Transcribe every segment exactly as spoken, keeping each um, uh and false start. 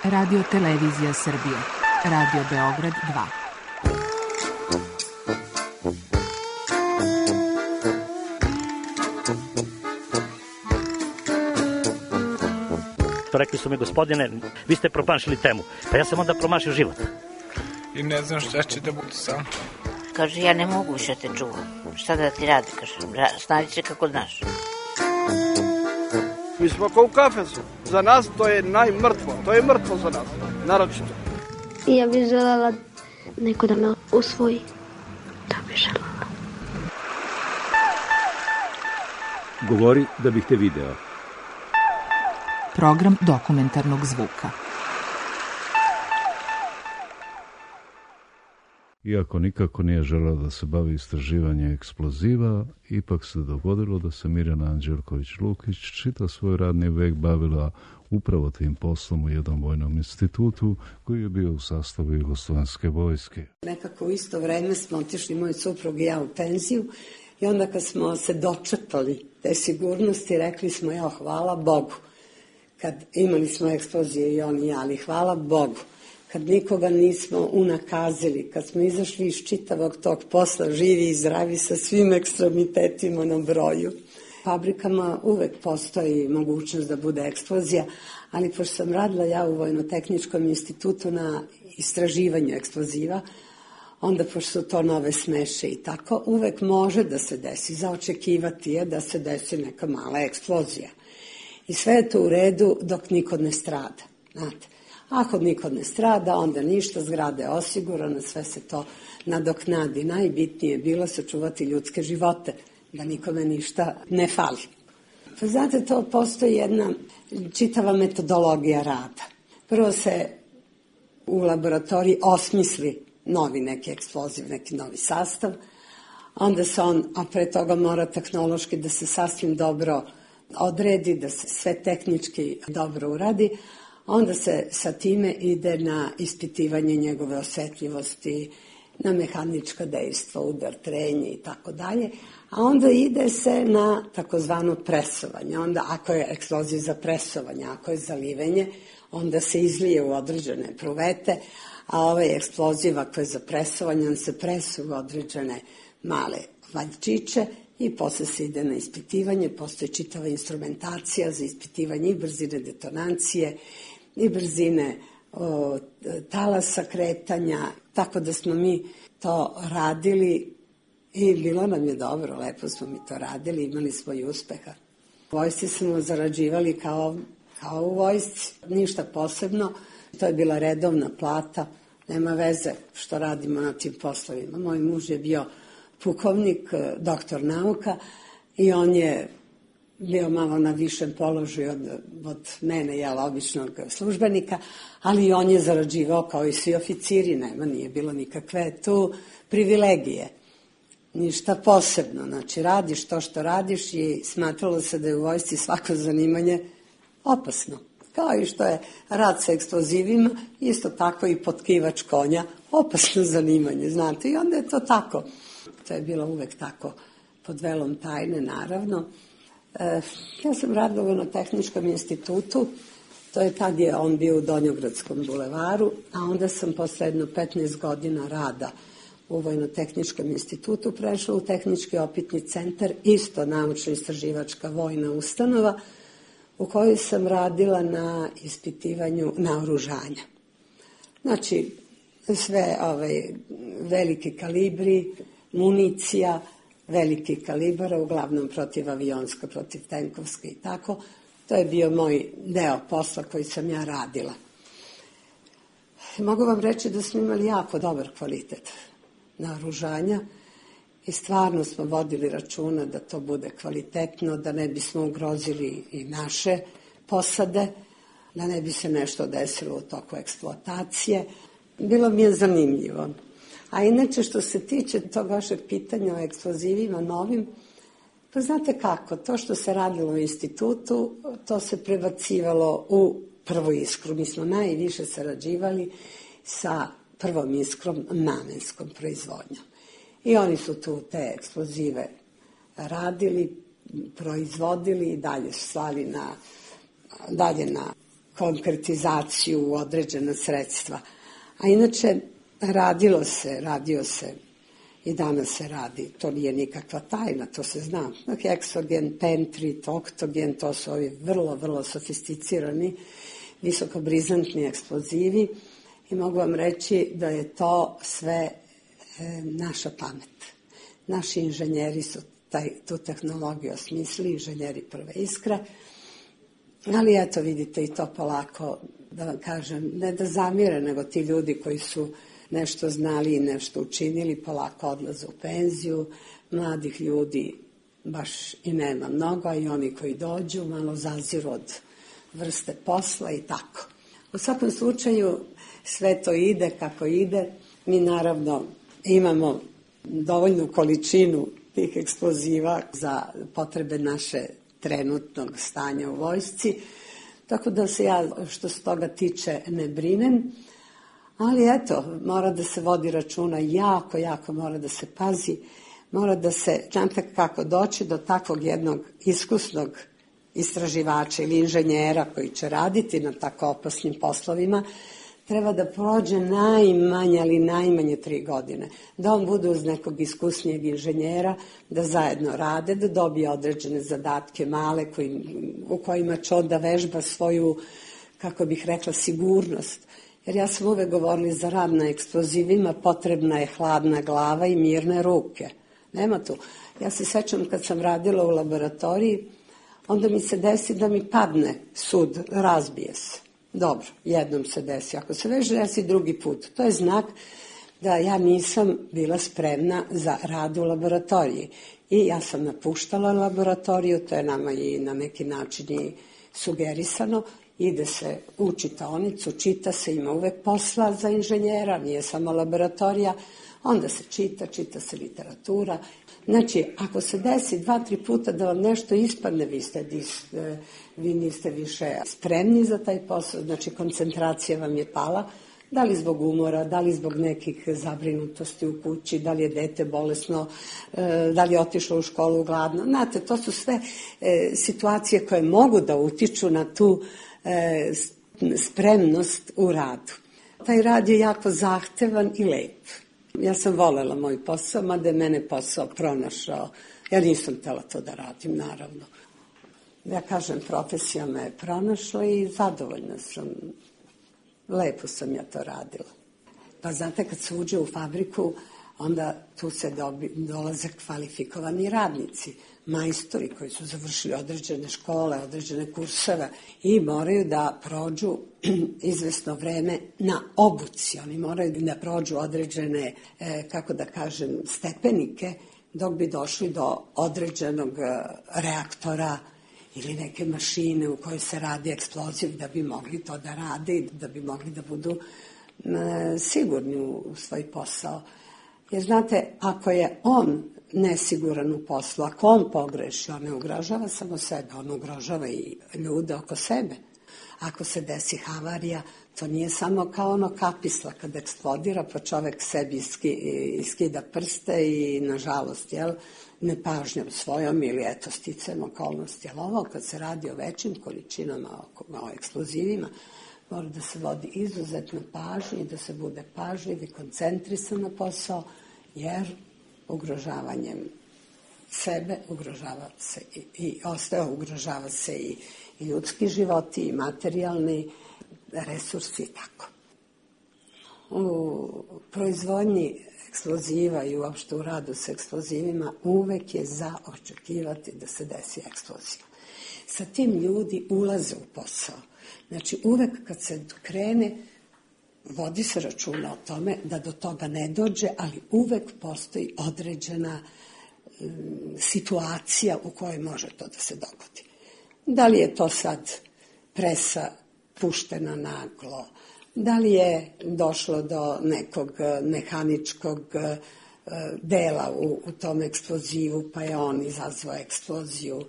Radio Televizija Srbije. Radio Beograd dva. Rekli su mi, gospodine, vi ste promašili temu. Pa ja sam onda promašio život. I ne znam šta će da bude sam. Kaže, ja ne mogu više te čuvam. Šta da ti radi, kaže, snađi se kako znaš. Mi smo kao u kafesu. Za nas to je najmrtvo. To je mrtvo za nas, naročito. Ja bih želela neko da me usvoji. To bih želela. Govori da bih te video. Program dokumentarnog zvuka. Iako nikako nije želeo da se bavi istraživanjem eksploziva, ipak se dogodilo da se Mirjana Anđelković-Lukić čitav svoj radni vek bavila upravo tim poslom u jednom vojnom institutu koji je bio u sastavu Jugoslovenske vojske. Nekako u isto vreme smo otišli moj suprug i ja u penziju i onda kad smo se dočepali te sigurnosti, rekli smo, ja, hvala Bogu. Kad imali smo eksplozije i on i ja, ali hvala Bogu. Kad nikoga nismo unakazili, kad smo izašli iz čitavog tog posla, živi i zdravi sa svim ekstremitetima na broju. Fabrikama uvek postoji mogućnost da bude eksplozija, ali pošto sam radila ja u Vojno-tehničkom institutu na istraživanju eksploziva, onda pošto su to nove smeše i tako, uvek može da se desi, za očekivati je da se desi neka mala eksplozija. I sve je to u redu dok niko ne strada, znate. Ako niko ne strada, onda ništa, zgrada je osigurana, sve se to nadoknadi. Najbitnije je bilo sačuvati ljudske živote, da nikome ništa ne fali. Pa znate, to postoji jedna čitava metodologija rada. Prvo se u laboratoriji osmisli novi neki eksploziv, neki novi sastav, onda se on, a pre toga mora tehnološki da se sasvim dobro odredi, da se sve tehnički dobro uradi, onda se sa time ide na ispitivanje njegove osetljivosti, na mehanička dejstva, udar, trenje i tako dalje, a onda ide se na takozvano presovanje. Onda ako je eksploziv za presovanje, ako je za livenje, onda se izlije u određene pruvete, a ovaj eksploziv ako je za presovanje, on se presu u određene male valjčiće i posle se ide na ispitivanje. Postoji čitava instrumentacija za ispitivanje i brzine detonacije i brzine o, talasa kretanja, tako da smo mi to radili i bilo nam je dobro, lepo smo mi to radili, imali smo i uspeha. U vojsci smo zarađivali kao, kao u vojsci, ništa posebno, to je bila redovna plata, nema veze što radimo na tim poslovima. Moj muž je bio pukovnik, doktor nauka i on je bio malo na višem položaju od, od mene, jel, običnog službenika, ali on je zarađivao kao i svi oficiri, nema, nije bilo nikakve tu privilegije, ništa posebno. Znači, radiš to što radiš i smatralo se da je u vojsci svako zanimanje opasno. Kao i što je rad sa eksplozivima, isto tako i potkivač konja, opasno zanimanje, znate, i onda je to tako. To je bilo uvek tako, pod velom tajne, naravno. E, ja sam radila u Vojno-tehničkom institutu, to je tad je on bio u Donjogradskom bulevaru, a onda sam posle jedno petnaest godina rada u Vojno-tehničkom institutu prešla u Tehnički opitni centar, isto naučno-istraživačka vojna ustanova, u kojoj sam radila na ispitivanju naoružanja. Znači, sve ovaj, veliki kalibri, municija, veliki kalibara, uglavnom protivavionska, protivtenkovska i tako. To je bio moj deo posla koji sam ja radila. Mogu vam reći da smo imali jako dobar kvalitet naoružanja i stvarno smo vodili računa da to bude kvalitetno, da ne bismo ugrozili i naše posade, da ne bi se nešto desilo u toku eksploatacije. Bilo mi je zanimljivo. A inače, što se tiče tog vašeg pitanja o eksplozivima novim, pa znate kako, to što se radilo u institutu, to se prebacivalo u prvu iskru. Mi smo najviše sarađivali sa prvom iskrom namenskom proizvodnjom. I oni su tu te eksplozive radili, proizvodili i dalje slali na, dalje na konkretizaciju u određena sredstva. A inače, radilo se, radio se i danas se radi. To nije nikakva tajna, to se zna. Heksogen, pentrit, oktogen, to su ovi vrlo, vrlo sofisticirani, visokobrizantni eksplozivi i mogu vam reći da je to sve e, naša pamet. Naši inženjeri su taj, tu tehnologiju osmislili, inženjeri prve iskre, ali eto vidite i to polako, da vam kažem, ne da zamire, nego ti ljudi koji su nešto znali i nešto učinili, polako odlaze u penziju, mladih ljudi baš i nema mnogo, a i oni koji dođu malo zaziru od vrste posla i tako. U svakom slučaju sve to ide kako ide, mi naravno imamo dovoljnu količinu tih eksploziva za potrebe naše trenutnog stanja u vojsci, tako da se ja što se toga tiče ne brinem, ali eto, mora da se vodi računa, jako, jako mora da se pazi, mora da se, znate kako doći do takvog jednog iskusnog istraživača ili inženjera koji će raditi na tako opasnim poslovima, treba da prođe najmanje, ali najmanje tri godine. Da on bude uz nekog iskusnijeg inženjera, da zajedno rade, da dobije određene zadatke male koji, u kojima će onda vežba svoju, kako bih rekla, sigurnost. Jer ja sam uvek govorila za rad na eksplozivima, potrebna je hladna glava i mirne ruke. Nema tu. Ja se sećam kad sam radila u laboratoriji, onda mi se desi da mi padne sud, razbije se. Dobro, jednom se desi. Ako se već desi drugi put, to je znak da ja nisam bila spremna za rad u laboratoriji. I ja sam napuštala laboratoriju, to je nama i na neki način i sugerisano, ide se u čitaonicu, čita se, ima uvek posla za inženjera, nije samo laboratorija, onda se čita, čita se literatura. Znači, ako se desi dva, tri puta da vam nešto ispadne, vi, ste, vi niste više spremni za taj posao, znači koncentracija vam je pala, da li zbog umora, da li zbog nekih zabrinutosti u kući, da li je dete bolesno, da li je otišlo u školu gladno. Znate, to su sve situacije koje mogu da utiču na tu spremnost u radu. Taj rad je jako zahtevan i lep. Ja sam volela moj posao, mada je mene posao pronašao. Ja nisam htjela to da radim, naravno. Ja kažem, profesija me je pronašla i zadovoljna sam. Lepo sam ja to radila. Pa znate, kad se uđe u fabriku, onda tu se dobi, dolaze kvalifikovani radnici, majstori koji su završili određene škole, određene kurseve i moraju da prođu izvesno vreme na obuci. Oni moraju da prođu određene, kako da kažem, stepenike dok bi došli do određenog reaktora ili neke mašine u kojoj se radi eksploziv da bi mogli to da rade i da bi mogli da budu sigurni u svoj posao. Jer znate, ako je on nesiguran u poslu, ako on pogreši, on ne ugrožava samo sebe, on ugrožava i ljude oko sebe. Ako se desi havarija, to nije samo kao ono kapisla kad eksplodira, pa čovek sebi iskida prste i, nažalost, jel, nepažnjom svojom ili eto sticam okolnosti. Ali ovo, kad se radi o većim količinama, o eksplozivima, mora da se vodi izuzetno pažnje i da se bude pažljiv i koncentrisan na posao, jer ugrožavanjem sebe ugrožava se i, i ostaje, ugrožava se i, i ljudski životi i materijalni resursi i tako. U proizvodnji eksploziva i uopšte u radu sa eksplozivima uvek je za očekivati da se desi eksplozija. Sa tim ljudi ulaze u posao. Znači uvek kad se krene, vodi se računa o tome da do toga ne dođe, ali uvek postoji određena um, situacija u kojoj može to da se dogodi. Da li je to sad presa puštena naglo, da li je došlo do nekog mehaničkog uh, dela u, u tom eksplozivu, pa je on izazvao eksploziju.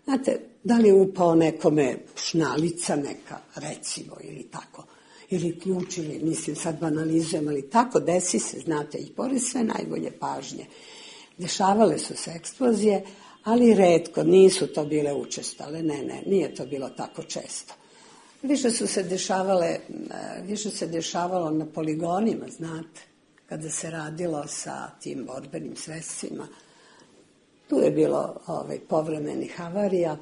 Znate, da li je upao nekome šnalica neka, recimo, ili tako, ili ključ, ili, mislim, sad banalizujem, ali tako desi se, znate, i pored sve najbolje pažnje. Dešavale su se eksplozije, ali retko, nisu to bile učestale, ne, ne, nije to bilo tako često. Više su se dešavale, više se dešavalo na poligonima, znate, kada se radilo sa tim borbenim sredstvima. Tu je bilo ovaj, povremenih havarija,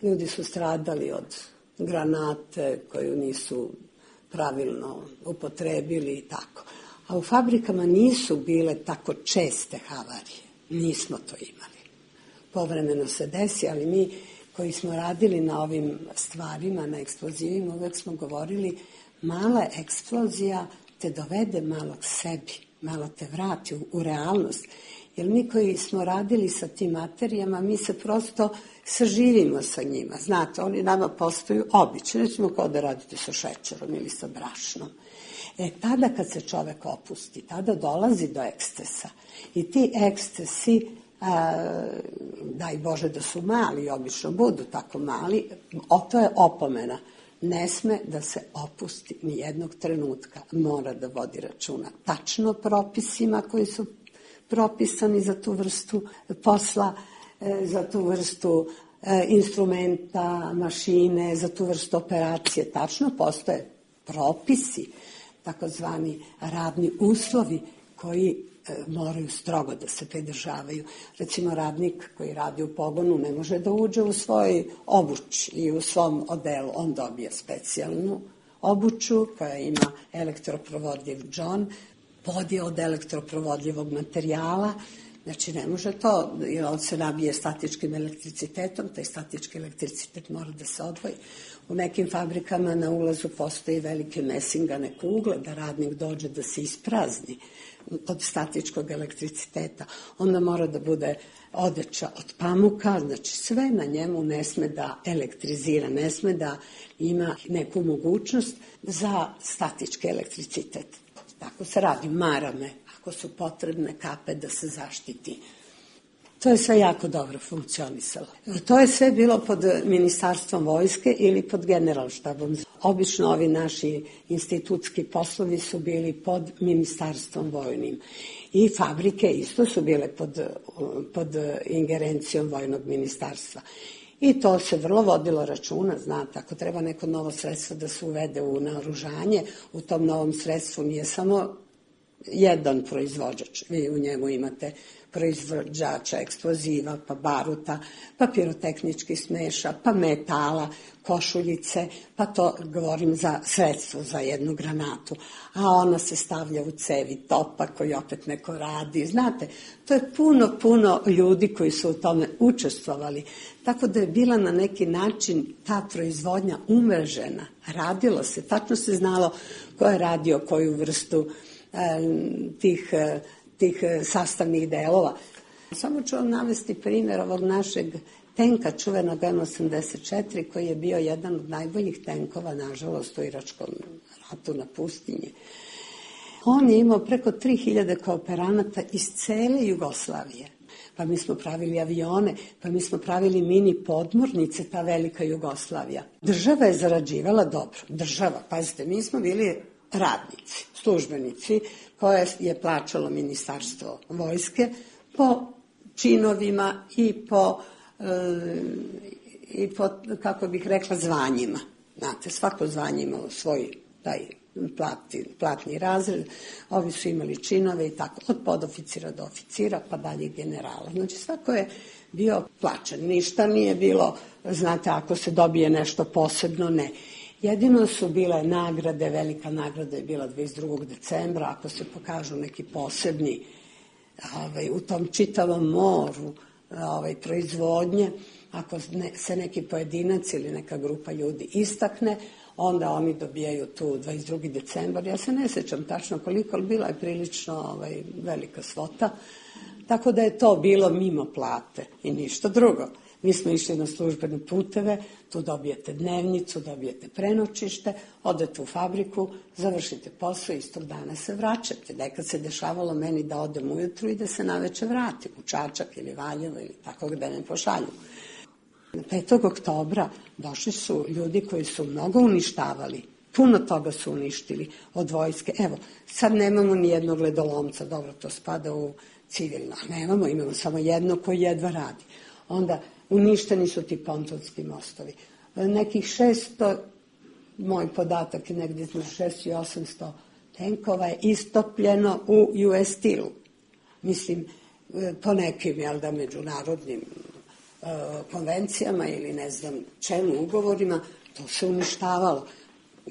ljudi su stradali od granate koju nisu pravilno upotrebili i tako. A u fabrikama nisu bile tako česte havarije, nismo to imali. Povremeno se desi, ali mi koji smo radili na ovim stvarima, na eksplozivima, uvek smo govorili mala eksplozija te dovede malo k sebi, malo te vrati u, u realnost. Jer mi koji smo radili sa tim materijama, mi se prosto saživimo sa njima. Znate, oni nama postaju obični, recimo kao da radite sa šećerom ili sa brašnom. E, tada kad se čovek opusti, tada dolazi do ekstesa. I ti ekstesi, a, daj Bože da su mali, obično budu tako mali, o, to je opomena. Ne sme da se opusti ni jednog trenutka. Mora da vodi računa tačno propisima koji su propisani za tu vrstu posla, za tu vrstu instrumenta, mašine, za tu vrstu operacije. Tačno postoje propisi, takozvani radni uslovi koji moraju strogo da se pridržavaju. Recimo, radnik koji radi u pogonu ne može da uđe u svoj obuć i u svom odelu. On dobije specijalnu obuću koja ima elektroprovodljiv džon, podije od elektroprovodljivog materijala, znači ne može to, jer on se nabije statičkim elektricitetom, taj statički elektricitet mora da se odvoji. U nekim fabrikama na ulazu postoji velike mesingane kugle, da radnik dođe da se isprazni od statičkog elektriciteta. Onda mora da bude odeća od pamuka, znači sve na njemu ne sme da elektrizira, ne sme da ima neku mogućnost za statički elektricitet. Tako se radi, marame, ako su potrebne kape da se zaštiti. To je sve jako dobro funkcionisalo. To je sve bilo pod ministarstvom vojske ili pod generalštabom. Obično ovi naši institutski poslovi su bili pod ministarstvom vojnim. I fabrike isto su bile pod, pod ingerencijom vojnog ministarstva. I to se vrlo vodilo računa, znate, ako treba neko novo sredstvo da se uvede u naoružanje, u tom novom sredstvu nije samo jedan proizvođač, vi u njemu imate proizvođača eksploziva, pa baruta, pa pirotehnički smeša, pa metala, košuljice, pa to govorim za sredstvo, za jednu granatu, a ona se stavlja u cevi topa koji opet neko radi. Znate, to je puno, puno ljudi koji su u tome učestvovali, tako da je bila na neki način ta proizvodnja umrežena, radilo se, tačno se znalo ko je radio koju vrstu tih, tih sastavnih delova. Samo ću vam navesti primjer ovog našeg tenka, čuvenog M osamdeset četiri, koji je bio jedan od najboljih tenkova, nažalost, u Iračkom ratu na pustinji. On je imao preko tri hiljade kooperanata iz cele Jugoslavije. Pa mi smo pravili avione, pa mi smo pravili mini podmornice, ta velika Jugoslavija. Država je zarađivala dobro. Država, pazite, mi smo bili radnici, službenici, koje je plaćalo ministarstvo vojske po činovima i po, e, i po, kako bih rekla, zvanjima. Znate, svako zvanje imalo svoj taj plati, platni razred, ovi su imali činove i tako, od podoficira do oficira, pa dalje generala. Znači, svako je bio plaćen. Ništa nije bilo, znate, ako se dobije nešto posebno, ne. Jedino su bile nagrade, velika nagrada je bila dvadeset drugog decembra, ako se pokažu neki posebni ovaj, u tom čitavom moru ovaj, proizvodnje, ako ne, se neki pojedinac ili neka grupa ljudi istakne, onda oni dobijaju tu dvadeset drugi decembar. Ja se ne sećam tačno koliko, ali bila je prilično ovaj, velika svota, tako da je to bilo mimo plate i ništa drugo. Mi smo išli na službene puteve, tu dobijete dnevnicu, dobijete prenočište, odete u fabriku, završite posao i istog dana se vraćate. Nekad se dešavalo meni da odem ujutru i da se naveče vratim u Čačak ili Valjevo ili tako gde me pošalju. petog oktobra došli su ljudi koji su mnogo uništavali, puno toga su uništili od vojske. Evo, sad nemamo ni jednog ledolomca, dobro, to spada u civilno, nemamo, imamo samo jedno koji jedva radi. Onda uništeni su ti pontonski mostovi. Nekih šesto moj podatak je negdje između šesto i osamsto tenkova je istopljeno u U S Steel-u. Mislim, po nekim, jel da, međunarodnim uh, konvencijama ili ne znam čemu ugovorima, to se uništavalo.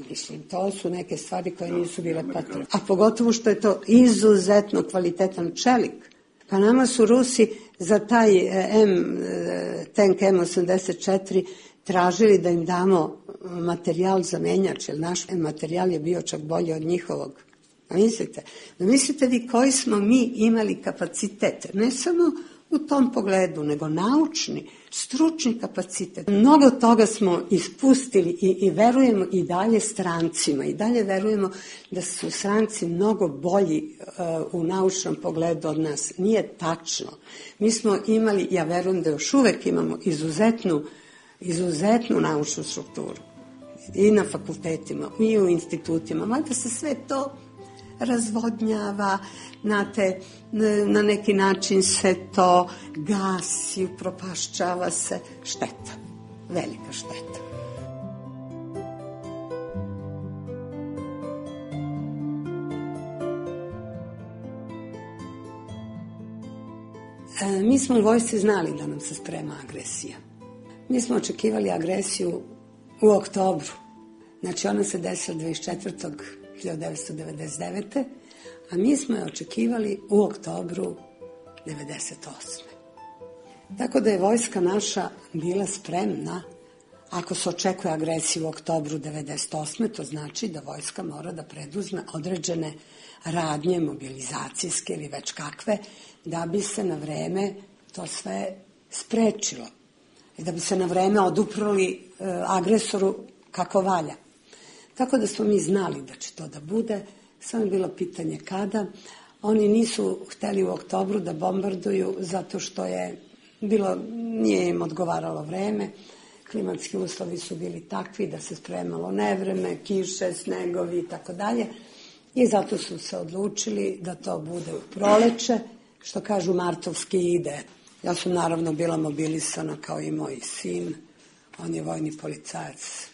Mislim, to su neke stvari koje nisu bile potrebne. A pogotovo što je to izuzetno kvalitetan čelik. Pa nama su Rusi za taj M, tank M osamdeset četiri tražili da im damo materijal za menjač, jer naš materijal je bio čak bolji od njihovog. A mislite, da mislite vi koji smo mi imali kapacitet, ne samo u tom pogledu, nego naučni, stručni kapacitet. Mnogo toga smo ispustili i, i verujemo i dalje strancima, i dalje verujemo da su stranci mnogo bolji uh, u naučnom pogledu od nas. Nije tačno. Mi smo imali, ja verujem da još uvek imamo izuzetnu, izuzetnu naučnu strukturu. I na fakultetima, i u institutima, mada se sve to razvodnjava, znate, na neki način se to gasi, upropašćava se. Šteta, velika šteta. E, mi smo u vojsci znali da nam se sprema agresija. Mi smo očekivali agresiju u oktobru. Znači, ona se desila dvadeset četvrtog hiljadu devetsto devedeset devete. a mi smo je očekivali u oktobru devedeset osme. Tako da je vojska naša bila spremna. Ako se očekuje agresiju u oktobru devedeset osme, to znači da vojska mora da preduzme određene radnje, mobilizacijske ili već kakve, da bi se na vreme to sve sprečilo. I da bi se na vreme oduprli e, agresoru kako valja. Tako da smo mi znali da će to da bude, samo je bilo pitanje kada. Oni nisu hteli u oktobru da bombarduju zato što je bilo, nije im odgovaralo vreme. Klimatski uslovi su bili takvi da se spremalo nevreme, kiše, snegovi i tako dalje. I zato su se odlučili da to bude u proleće, što kažu martovski ide. Ja sam naravno bila mobilisana kao i moj sin. On je vojni policajac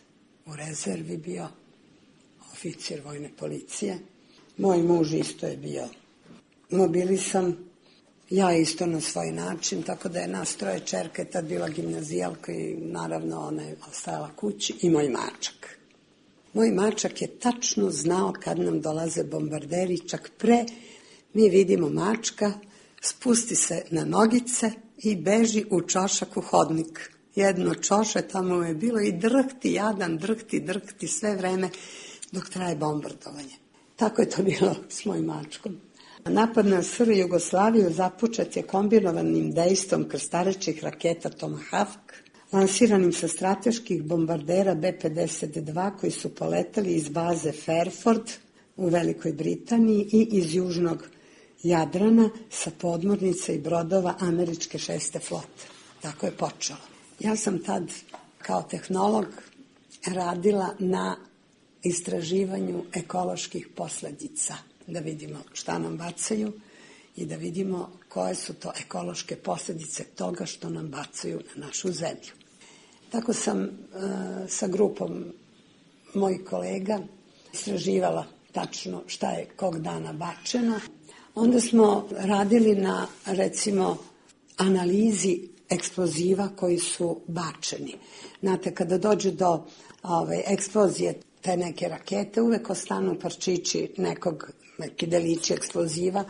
u rezervi bio, oficir vojne policije. Moj muž isto je bio mobilisan, ja isto na svoj način, tako da je nas troje čerke tad bila gimnazijalka i naravno ona je ostajala kući i moj mačak. Moj mačak je tačno znao kad nam dolaze bombarderi, čak pre mi vidimo mačka, spusti se na nogice i beži u čošak u hodnik. Jedno čoše tamo je bilo i drhti, jadan, drhti, drhti sve vreme dok traje bombardovanje. Tako je to bilo s mojim mačkom. Napad na S R Jugoslaviju započet je kombinovanim dejstvom krstarećih raketa Tomahawk, lansiranim sa strateških bombardera B pedeset dva koji su poletali iz baze Fairford u Velikoj Britaniji i iz južnog Jadrana sa podmornica i brodova američke šeste flote. Tako je počelo. Ja sam tad kao tehnolog radila na istraživanju ekoloških posljedica, da vidimo šta nam bacaju i da vidimo koje su to ekološke posljedice toga što nam bacaju na našu zemlju. Tako sam e, sa grupom mojih kolega istraživala tačno šta je kog dana bačeno. Onda smo radili na, recimo, analizi eksploziva koji su bačeni. Znate, kada dođe do ove, eksplozije te neke rakete, uvek ostanu parčići nekog, neki delići eksploziva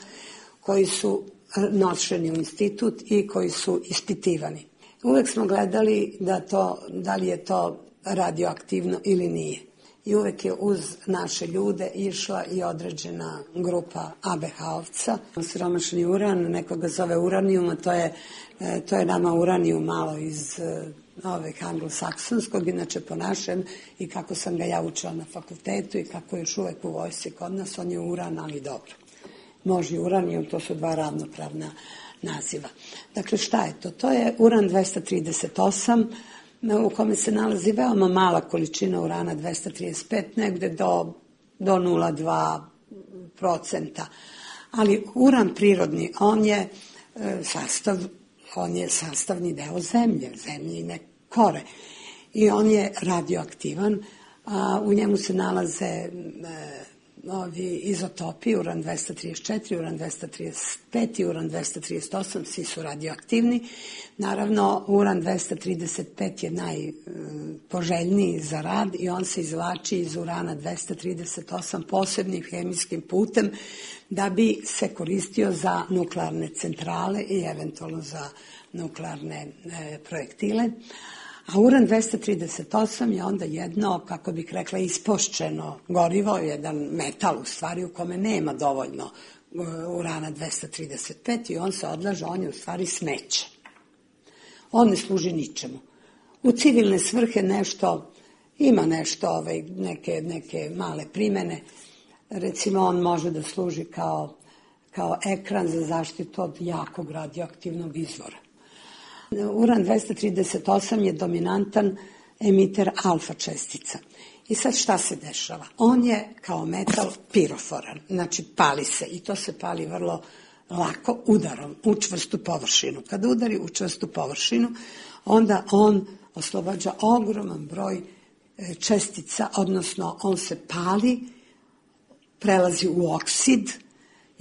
koji su nošeni u institut i koji su ispitivani. Uvek smo gledali da, to, da li je to radioaktivno ili nije. I uvek je uz naše ljude išla i određena grupa A B H-ovca. Siromašni uran, nekoga zove uranijum, to je, to je nama uranijum malo iz ovih anglosaksonskog, inače po našem, i kako sam ga ja učila na fakultetu i kako je još uvek u vojsci kod nas, on je uran, ali dobro. Može uranijum, to su dva ravnopravna naziva. Dakle, šta je to? To je uran dvesta trideset osam, u kome se nalazi veoma mala količina urana, dvesta trideset pet, negde do, do nula zarez dva procenta. Ali uran prirodni, on je e, sastav, on je sastavni deo zemlje, zemljine kore. I on je radioaktivan, a u njemu se nalaze e, ovi izotopi, uran dvesta trideset četiri, uran dvesta trideset pet i uran dvesta trideset osam, svi su radioaktivni. Naravno, uran dvesta trideset pet je najpoželjniji za rad i on se izvlači iz urana dvesta trideset osam posebnim hemijskim putem da bi se koristio za nuklearne centrale i eventualno za nuklearne e, projektile. A uran dvesta trideset osam je onda jedno, kako bih rekla, ispošćeno gorivo, jedan metal u stvari u kome nema dovoljno urana dvesta trideset pet i on se odlaže, on je u stvari smeće. On ne služi ničemu. U civilne svrhe nešto, ima nešto, ovaj, neke, neke male primene, recimo on može da služi kao, kao ekran za zaštitu od jakog radioaktivnog izvora. Uran dvesta trideset osam je dominantan emiter alfa čestica. I sad šta se dešava? On je kao metal piroforan, znači pali se i to se pali vrlo lako udarom u čvrstu površinu. Kada udari u čvrstu površinu, onda on oslobađa ogroman broj čestica, odnosno on se pali, prelazi u oksid,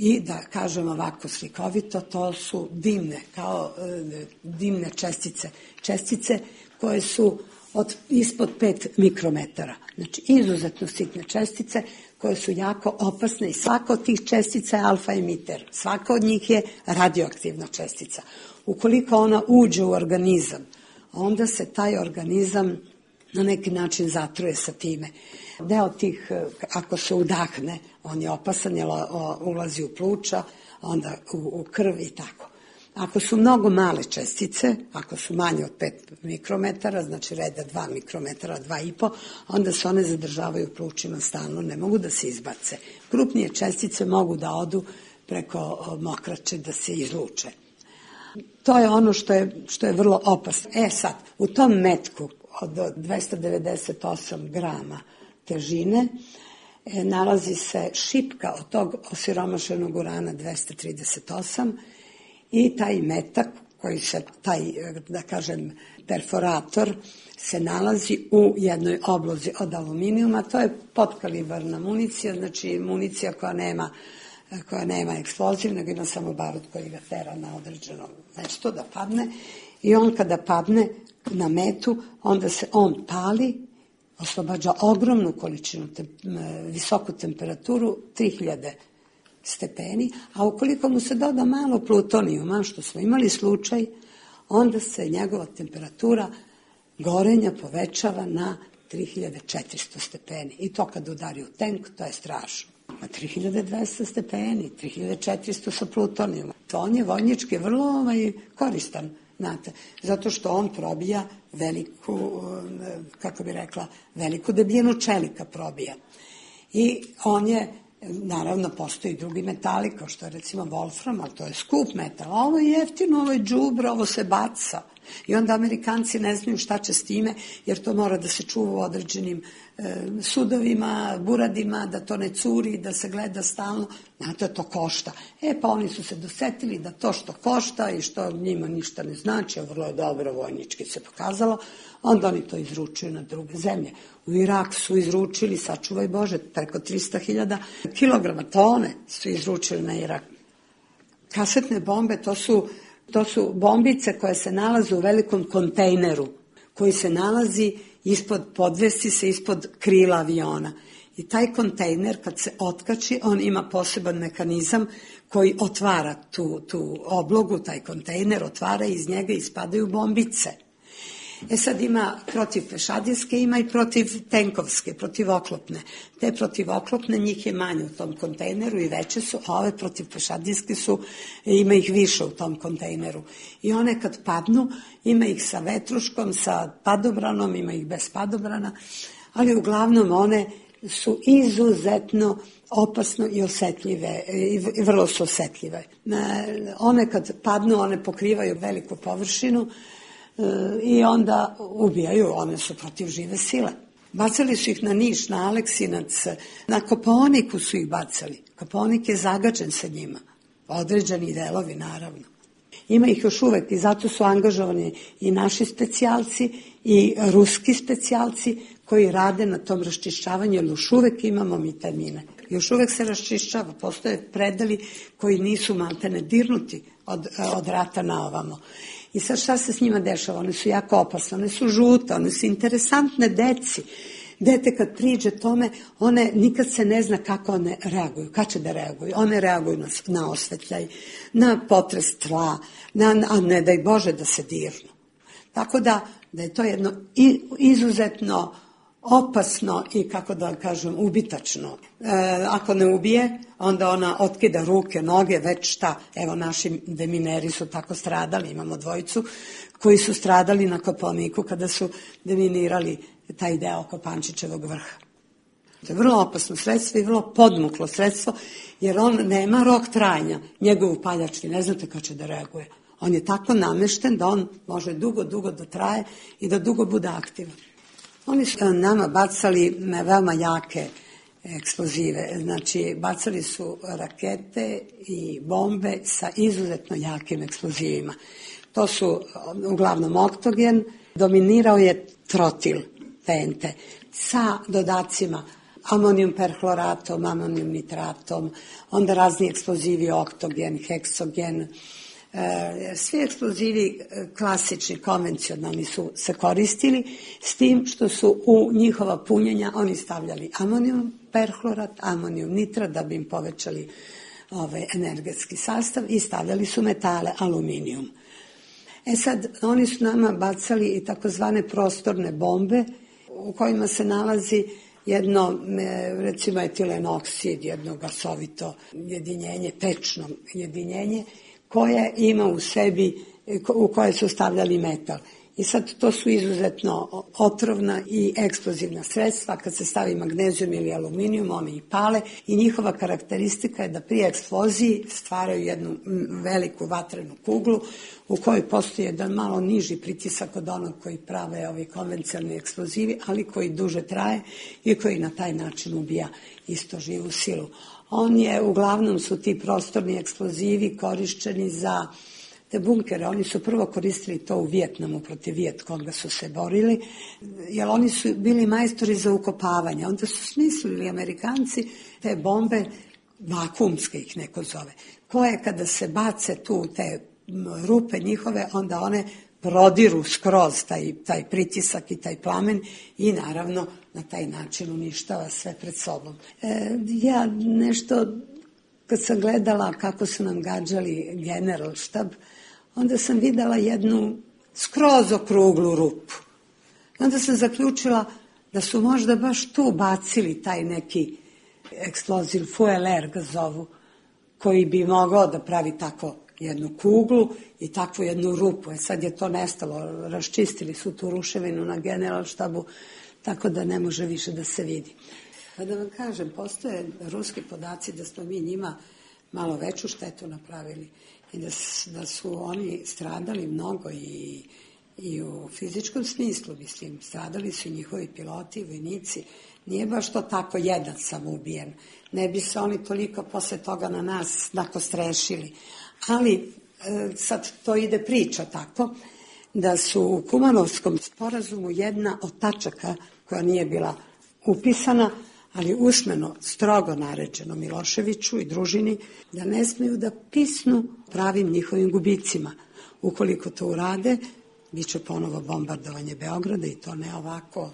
i da kažem ovako slikovito, to su dimne, kao e, dimne čestice. Čestice koje su od, ispod pet mikrometara. Znači, izuzetno sitne čestice koje su jako opasne i svaka od tih čestica je alfa emiter. Svaka od njih je radioaktivna čestica. Ukoliko ona uđe u organizam, onda se taj organizam na neki način zatruje sa time. Deo tih, ako se udahne, on je opasan jer ulazi u pluća, onda u, u krv i tako. Ako su mnogo male čestice, ako su manje od pet mikrometara, znači reda dva mikrometara, dva i po, onda se one zadržavaju u plućima stalno, ne mogu da se izbace. Krupnije čestice mogu da odu preko mokraće da se izluče. To je ono što je, što je vrlo opasno. E sad, u tom metku od dvesta devedeset osam grama težine e, nalazi se šipka od tog osiromašenog urana dvesta trideset osam i taj metak, koji se, taj, da kažem, perforator, se nalazi u jednoj oblozi od aluminijuma. To je potkalibarna municija, znači municija koja nema, koja nema eksploziv, nego ima samo barut koji ga tera na određeno mesto da padne. I on kada padne na metu, onda se on pali, oslobađa ogromnu količinu, te, visoku temperaturu, tri hiljade stepeni, a ukoliko mu se doda malo plutonijuma, što smo imali slučaj, onda se njegova temperatura gorenja povećava na tri hiljade četiristo stepeni. I to kad udari u tank, to je strašno. Na tri hiljade dvesta stepeni, tri hiljade četiristo sa plutonijuma. To on je vojnički vrlo ovaj, koristan, znate, zato što on probija veliku, kako bi rekla, veliku debljinu čelika probija. I on je, naravno, postoji drugi metali, kao što je recimo wolfram, ali to je skup metal. A ovo je jeftino, ovo je džubre, ovo se baca. I onda Amerikanci ne znaju šta će s time, jer to mora da se čuva u određenim e, sudovima, buradima, da to ne curi, da se gleda stalno. Znate, to košta. E, pa oni su se dosetili da to što košta i što njima ništa ne znači, a vrlo je dobro vojnički se pokazalo, onda oni to izručuju na druge zemlje. U Irak su izručili, sačuvaj Bože, preko trista hiljada kilograma, tone su izručili na Irak. Kasetne bombe, to su To su bombice koje se nalaze u velikom kontejneru, koji se nalazi ispod, podvesi se ispod krila aviona. I taj kontejner, kad se otkači, on ima poseban mehanizam koji otvara tu, tu oblogu, taj kontejner otvara i iz njega ispadaju bombice. E sad ima protiv pešadijske, ima i protiv tenkovske, protiv oklopne. Te protiv oklopne, njih je manje u tom kontejneru i veće su, a ove protiv pešadijske su, ima ih više u tom kontejneru. I one kad padnu, ima ih sa vetruškom, sa padobranom, ima ih bez padobrana, ali uglavnom one su izuzetno opasno i osetljive, i vrlo su osetljive. One kad padnu, one pokrivaju veliku površinu, i onda ubijaju, one su protiv žive sile. Bacali su ih na Niš, na Aleksinac, na Kopaoniku su ih bacali. Kopaonik je zagađen sa njima, određeni delovi naravno. Ima ih još uvek i zato su angažovani i naši specijalci i ruski specijalci koji rade na tom raščišćavanju, jer još uvek imamo mi te mine. Još uvek se raščišćava, postoje predeli koji nisu maltene dirnuti od, od rata na ovamo. I sad šta se s njima dešava? One su jako opasne, one su žute, one su interesantne deci. Dete kad priđe tome, one nikad se ne zna kako one reaguju, kad će da reaguju. One reaguju na, na osvetljaj, na potres tla, na, a ne daj Bože da se dirnu. Tako da, da je to jedno izuzetno opasno i, kako da kažem, ubitačno. E, ako ne ubije, onda ona otkida ruke, noge, već šta. Evo, naši demineri su tako stradali, imamo dvojicu koji su stradali na Kopaoniku kada su deminirali taj deo Kopančićevog vrha. To je vrlo opasno sredstvo i vrlo podmuklo sredstvo, jer on nema rok trajanja. Njegov upaljač, vi ne znate kako će da reaguje. On je tako namešten da on može dugo, dugo da traje i da dugo bude aktivan. Oni su nama bacali veoma jake eksplozive, znači bacali su rakete i bombe sa izuzetno jakim eksplozivima. To su uglavnom oktogen, dominirao je trotil T N T sa dodacima amonijum perhloratom, amonijum nitratom, onda razni eksplozivi oktogen, heksogen. Svi eksplozivi klasični, konvencionalni su se koristili, s tim što su u njihova punjenja oni stavljali amonijum perhlorat, amonijum nitrat da bi im povećali ovaj, energetski sastav i stavljali su metale, aluminijum. E sad, oni su nama bacali i takozvane prostorne bombe u kojima se nalazi jedno, recimo etilen oksid, jedno gasovito jedinjenje, pečno jedinjenje, koje ima u sebi, u koje su stavljali metal. I sad to su izuzetno otrovna i eksplozivna sredstva. Kad se stavi magnezijum ili aluminijum, oni i pale i njihova karakteristika je da pri eksploziji stvaraju jednu veliku vatrenu kuglu u kojoj postoji jedan malo niži pritisak od onog koji prave ovi konvencionalni eksplozivi, ali koji duže traje i koji na taj način ubija isto živu silu. On je, uglavnom su ti prostorni eksplozivi korišćeni za te bunkere. Oni su prvo koristili to u Vijetnamu, protiv Vijetkonga su se borili, jer oni su bili majstori za ukopavanje. Onda su smislili Amerikanci te bombe, vakuumske ih neko zove, koje kada se bace tu te rupe njihove, onda one prodiru skroz taj, taj pritisak i taj plamen i naravno na taj način uništava sve pred sobom. E, ja nešto, kad sam gledala kako su nam gađali generalštab, onda sam videla jednu skroz okruglu rupu. Onda sam zaključila da su možda baš tu bacili taj neki eksploziv, fueler ga zovu, koji bi mogao da pravi tako jednu kuglu i takvu jednu rupu. E sad je to nestalo, raščistili su tu ruševinu na generalštabu, tako da ne može više da se vidi. Pa da vam kažem, postoje ruski podaci da smo mi njima malo veću štetu napravili i da, da su oni stradali mnogo i, i u fizičkom smislu, mislim, stradali su njihovi piloti, vojnici. Nije baš to tako jedan samo ubijen. Ne bi se oni toliko posle toga na nas nakostrešili. Ali sad to ide priča tako, da su u Kumanovskom sporazumu jedna od tačaka koja nije bila upisana, ali usmeno strogo naređeno Miloševiću i družini, da ne smeju da pisnu pravim njihovim gubicima. Ukoliko to urade, bit će ponovo bombardovanje Beograda i to ne ovako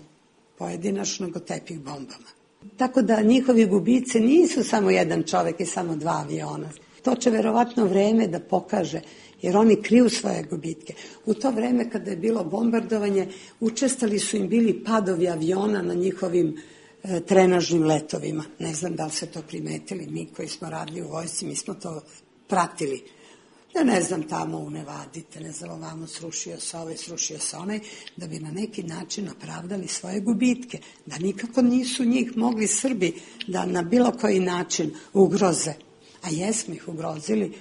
pojedinačno, nego tepih bombama. Tako da njihovi gubice nisu samo jedan čovek i samo dva aviona. To će verovatno vreme da pokaže, jer oni kriju svoje gubitke. U to vreme kada je bilo bombardovanje, učestali su im bili padovi aviona na njihovim e, trenažnim letovima. Ne znam da li se to primetili, mi koji smo radili u vojsci, mi smo to pratili. Ja ne znam, tamo u Nevadite, ne znam, ovamo srušio se ovaj, srušio se onaj, da bi na neki način opravdali svoje gubitke, da nikako nisu njih mogli Srbi da na bilo koji način ugroze. A jesmo ih ugrozili,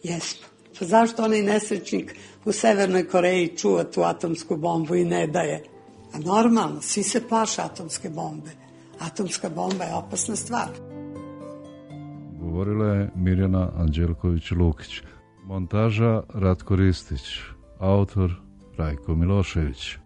jesmo. Pa zašto onaj nesrećnik u Severnoj Koreji čuva tu atomsku bombu i ne daje? A normalno, svi se plaše atomske bombe. Atomska bomba je opasna stvar. Govorila je Mirjana Anđelković-Lukić. Montaža Ratko Ristić. Autor Rajko Milošević.